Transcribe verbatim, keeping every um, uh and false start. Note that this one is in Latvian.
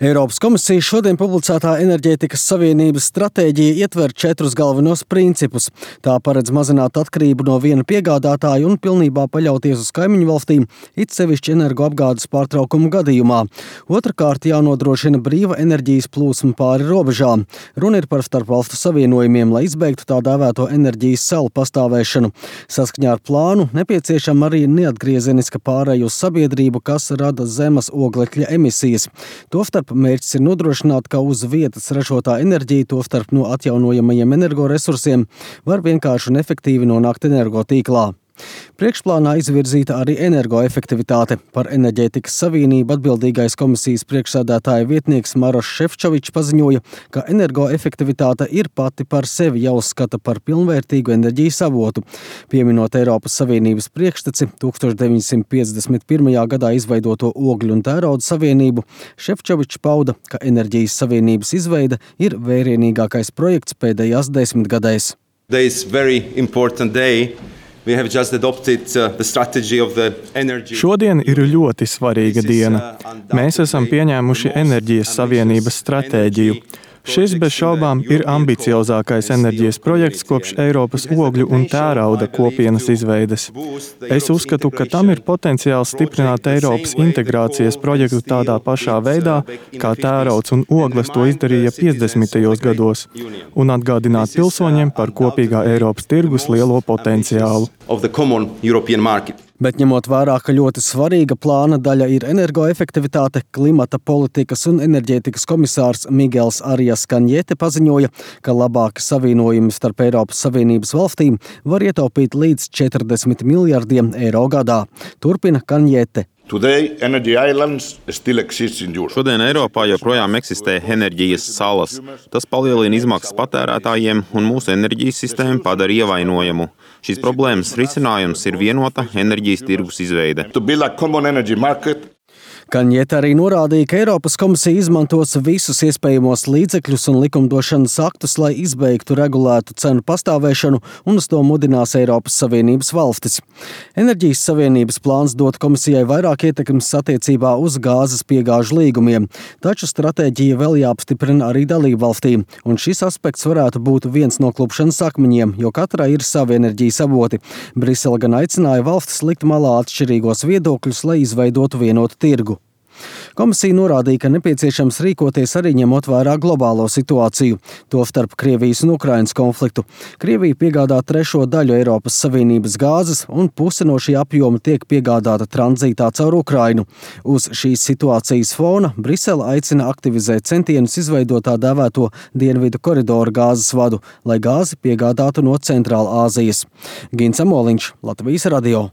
Eiropas komisija šodien publicētā enerģētikas savienības stratēģija ietver četrus galvenos principus. Tā paredz mazināt atkarību no viena piegādātāja un pilnībā paļauties uz kaimiņu valstīm, it sevišķi energoapgādes pārtraukumu gadījumā. Otrakārt, jānodrošina brīva enerģijas plūsma pāri robežām. Runa ir par starpvalstu savienojumiem, lai izbeigtu tā dēvēto enerģijas salu pastāvēšanu. Saskaņā ar plānu nepieciešama arī neatgriezeniska pāreja uz sabiedrību, kas rada zemes oglekļa emisijas. Tostarp mērķis ir nodrošināt, ka uz vietas ražotā enerģija, tostarp no atjaunojamajiem energoresursiem, var vienkārši un efektīvi nonākt energotīklā. Priekšplānā izvirzīta arī energoefektivitāte. Par enerģētikas savienību atbildīgais komisijas priekšsēdētāja vietnieks Maroš Šefčovičs paziņoja, ka energoefektivitāte ir pati par sevi jāuzskata par pilnvērtīgu enerģijas avotu. Pieminot Eiropas Savienības priekšteci tūkstoš deviņsimt piecdesmit pirmajā gadā izveidoto ogļu un tērauda savienību, Šefčovičs pauda, ka enerģijas savienības izveide ir vērienīgākais projekts pēdējās desmitgadēs. Šodien ir ļoti svarīga diena. Mēs esam pieņēmuši enerģijas savienības stratēģiju. Šis bez šaubām ir ambiciozākais enerģijas projekts kopš Eiropas ogļu un tērauda kopienas izveides. Es uzskatu, ka tam ir potenciāls stiprināt Eiropas integrācijas projektu tādā pašā veidā, kā tērauds un ogles to izdarīja piecdesmitajos gados, un atgādināt pilsoņiem par kopīgā Eiropas tirgus lielo potenciālu. Bet ņemot vērā, ka ļoti svarīga plāna daļa ir energoefektivitāte, klimata politikas un enerģētikas komisārs Migels Arias Kanjete paziņoja, ka labāki savienojumi starp Eiropas Savienības valstīm var ietaupīt līdz četrdesmit miljardiem eiro gadā. Turpina Kanjete. Šodien Eiropā joprojām eksistē enerģijas salas. Tas palielina izmaksas patērētājiem un mūsu enerģijas sistēmu padara ievainojamu. Šīs problēmas risinājums ir vienota enerģijas tirgus izveide. Kanjete arī norādīja, ka Eiropas komisija izmantos visus iespējamos līdzekļus un likumdošanas aktus, lai izbeigtu regulētu cenu pastāvēšanu, un uz to mudinās Eiropas Savienības valstis. Enerģijas savienības plāns dot komisijai vairāk ietekmes attiecībā uz gāzes piegāžu līgumiem, taču stratēģija vēl jāapstiprina arī dalību valstīm, un šis aspekts varētu būt viens no klupšanas akmeņiem, jo katrai ir savi enerģijas avoti. Brisele gan aicināja valstis likt malā atšķirīgos viedokļus, lai izveidotu vienotu tirgu. Komisija norādīja, ka nepieciešams rīkoties arī ņemot vērā globālo situāciju, tostarp Krievijas un Ukrainas konfliktu. Krievija piegādā trešo daļu Eiropas Savienības gāzes, un puse no šī apjoma tiek piegādāta tranzītā caur Ukrainu. Uz šīs situācijas fona Brisele aicina aktivizēt centienus izveidot tā dēvēto dienvidu koridoru gāzes vadu, lai gāzi piegādātu no Centrāla Āzijas. Gins Amoliņš, Latvijas radio.